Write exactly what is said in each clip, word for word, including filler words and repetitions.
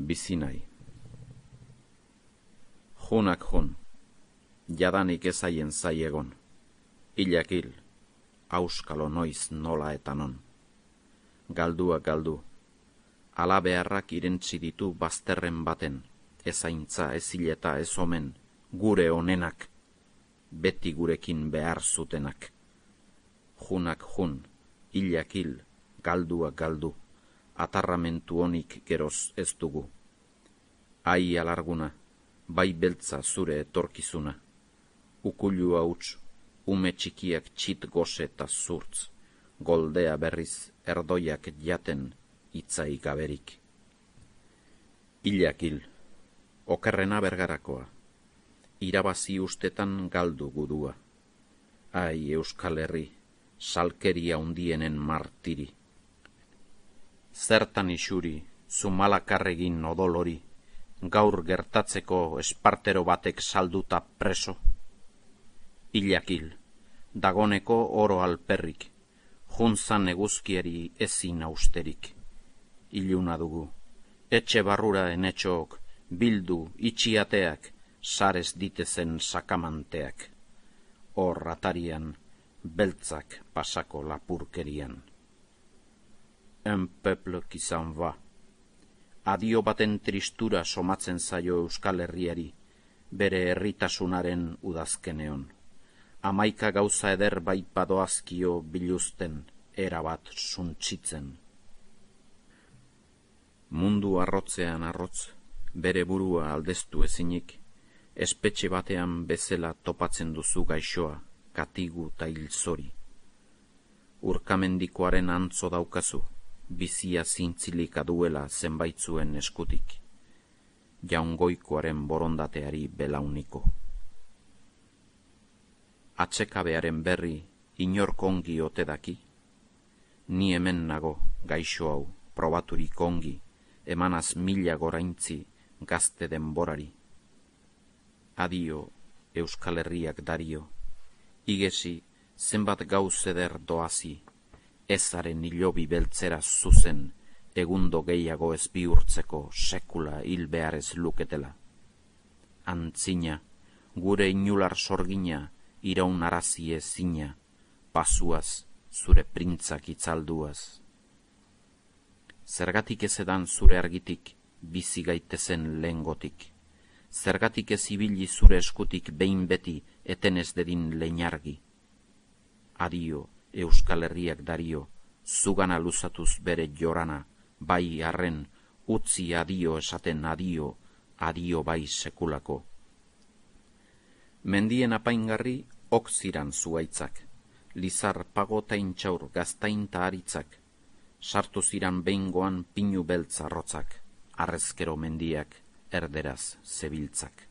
bizi nahi. Junak jun, jadanik ezaien zai egon, hilak hil, auskalo noiz nola eta non. Galdua galdu, ala beharrak irentzi ditu bazterren baten, ezaintza, ez hileta, ez omen, gure onenak, beti gurekin behar zutenak. Junak jun, hilak hil, galdua galdu, atarramentu honik geroz ez dugu. Ai alarguna, bai beltza zure etorkizuna, ukulu hauts, ume txikiak txit goze eta zurtz, goldea berriz erdoiak jaten itzai gaberik. Hilak hil, okerrena bergarakoa, irabazi ustetan galdu gudua. Ai Euskal Herri, salkeria undienen martiri. Zertan isuri, zumalakarregin odolori, gaur gertatzeko espartero batek salduta preso. Hilak hil, dagoneko oro alperrik, juntzan eguzkieri ezin austerik. Iluna dugu, etxe barrura enetxook, bildu itxiateak, sarez ditezen sakamanteak. Hor atarian, beltzak pasako lapurkerian. Un peuple qui s'en va. Adio baten tristura somatzen zaio Euskal Herriari, bere herritasunaren udazkeneon. Hamaika gauza eder bai padoazkio biluzten, erabat suntsitzen. Mundu arrotzean arrotz, bere burua aldeztu ezinik, espetxe batean bezala topatzen duzu gaixoa, katigu ta hilzori. Urkamendikoaren antzo daukazu, bizia zintzilika duela zenbaitzuen eskutik, jaungoikoaren borondateari belauniko. Atsekabearen berri inork ongi ote daki, ni hemen nago gaixo hau probaturik ongi, emanaz mila goraintzi gazte denborari. Adio Euskal Herriak dario, igesi zenbat gauz eder doazi, ezaren hilobi beltzera zuzen, egundo gehiago ez bihurtzeko sekula hil behar ez luketela. Antzina, gure inular sorgina, iraun arazi ezina, pasuaz, zure printzak itzalduaz. Zergatik ez edan zure argitik, bizi gaitezen lehengotik. Zergatik ez ibili zure eskutik behin beti etenez dedin leinargi. Adio, Euskal Herriak dario, zugana luzatuz bere jorana, bai arren, utzi adio esaten adio, adio bai sekulako. Mendien apaingarri ok ziran zuaitzak, lizar pagotaintxaur gaztainta aritzak, sartu ziran behingoan pinu beltza rotzak, arrezkero mendiak erderaz zebiltzak.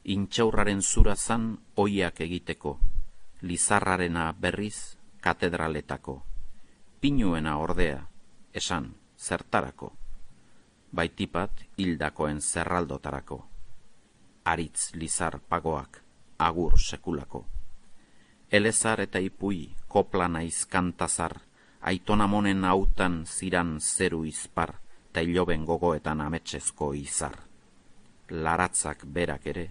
Intxaurraren zura zan oiak egiteko, lizarrarena berriz katedraletako, pinuena ordea, esan zertarako, baitipat hildakoen zerraldotarako, aritz lizar pagoak, agur sekulako. Elezar eta ipui, kopla naiz kantazar, aitonamonen hautan ziran zeru izpar, ta iloben gogoetan ametsezko izar. Laratzak berak ere,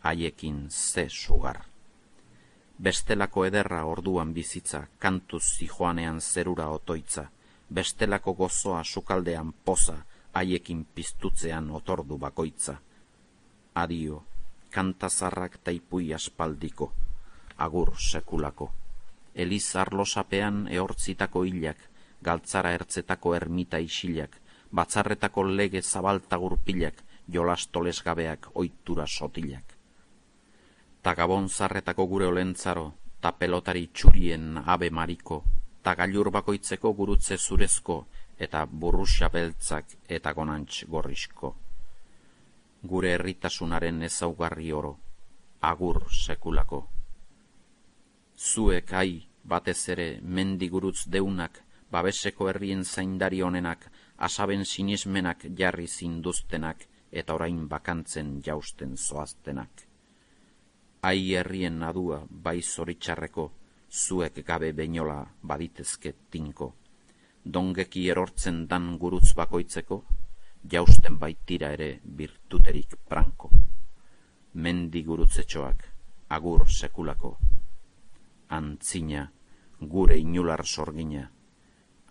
haiekin ze sugar. Bestelako ederra orduan bizitza, kantuz zijoanean zerura otoitza, bestelako gozoa sukaldean poza, haiekin piztutzean otordu bakoitza. Adio, kantazarrak taipui aspaldiko, agur sekulako. Eliz arlosapean ehortzitako hilak, galtzara ertzetako ermita isilak, batzarretako lege zabalta gurpilak, jolastoles gabeak oitura sotilak. Ta gabon zarretako gure olentzaro, ta pelotari txurien abe mariko, ta gailur bakoitzeko gurutze zurezko, eta burruxa beltzak eta gonantx gorrizko. Gure herritasunaren ezaugarri oro, agur sekulako. Zuek ai, batez ere, mendigurutz deunak, babeseko herrien zaindari honenak, asaben sinismenak jarri zinduztenak, eta orain bakantzen jausten zoaztenak. Ai herrien adua bai zoritxarreko, zuek gabe beinola baditezke tinko. Dongeki erortzen dan gurutz bakoitzeko, jausten baitira ere birtuterik branko. Mendi gurutzetxoak, agur sekulako. Antzina, gure inular sorgina,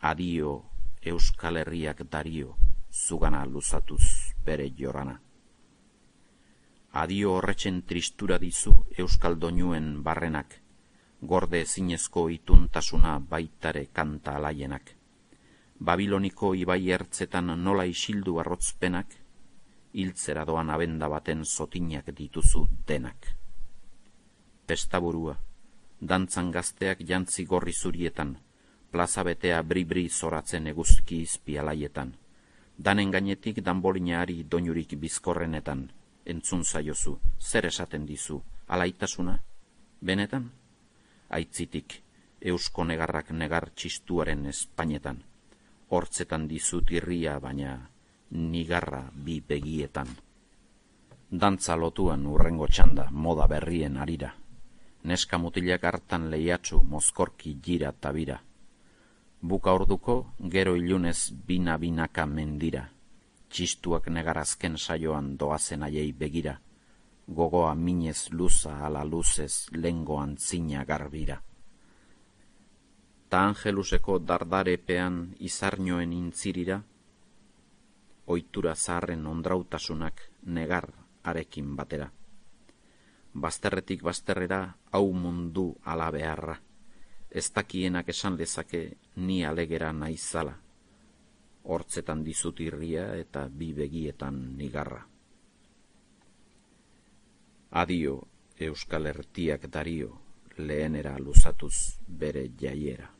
adio Euskal Herriak dario, zugana luzatuz bere jorana. Adio horretxen tristura dizu Euskal doinuen barrenak, gorde ezinezko ituntasuna baitare kanta alaienak. Babiloniko ibai ertzetan nola isildu arrotzpenak, hiltzera doan abenda baten zotinak dituzu denak. Pestaburua, dantzan gazteak jantzi gorri zurietan, plaza betea bri-bri zoratzen eguzki izpialaietan, danen gainetik danbolinaari doinurik bizkorrenetan, entzun zaiozu, zer esaten dizu, alaitasuna? Benetan? Aitzitik, eusko negarrak negar txistuaren espainetan, hortzetan dizut irria baina nigarra bi begietan. Dantza lotuan urrengo txanda moda berrien arira, neska mutilak hartan lehiatsu mozkorki jira tabira. Buka orduko gero ilunez bina-binaka mendira, txistuak negarazken saioan doazen aiei begira, gogoa minez luza ala luzez lengo antzina garbira. Ta Angeluseko dardarepean izarnioen intzirira, ohitura zaharren ondrautasunak negar arekin batera. Bazterretik bazterrera hau mundu ala beharra, ez dakienak esan lezake ni alegera naizala, hortzetan dizut irria eta bi begietan nigarra. Adio Euskal Herriak dario, lehenera luzatuz bere jaiera.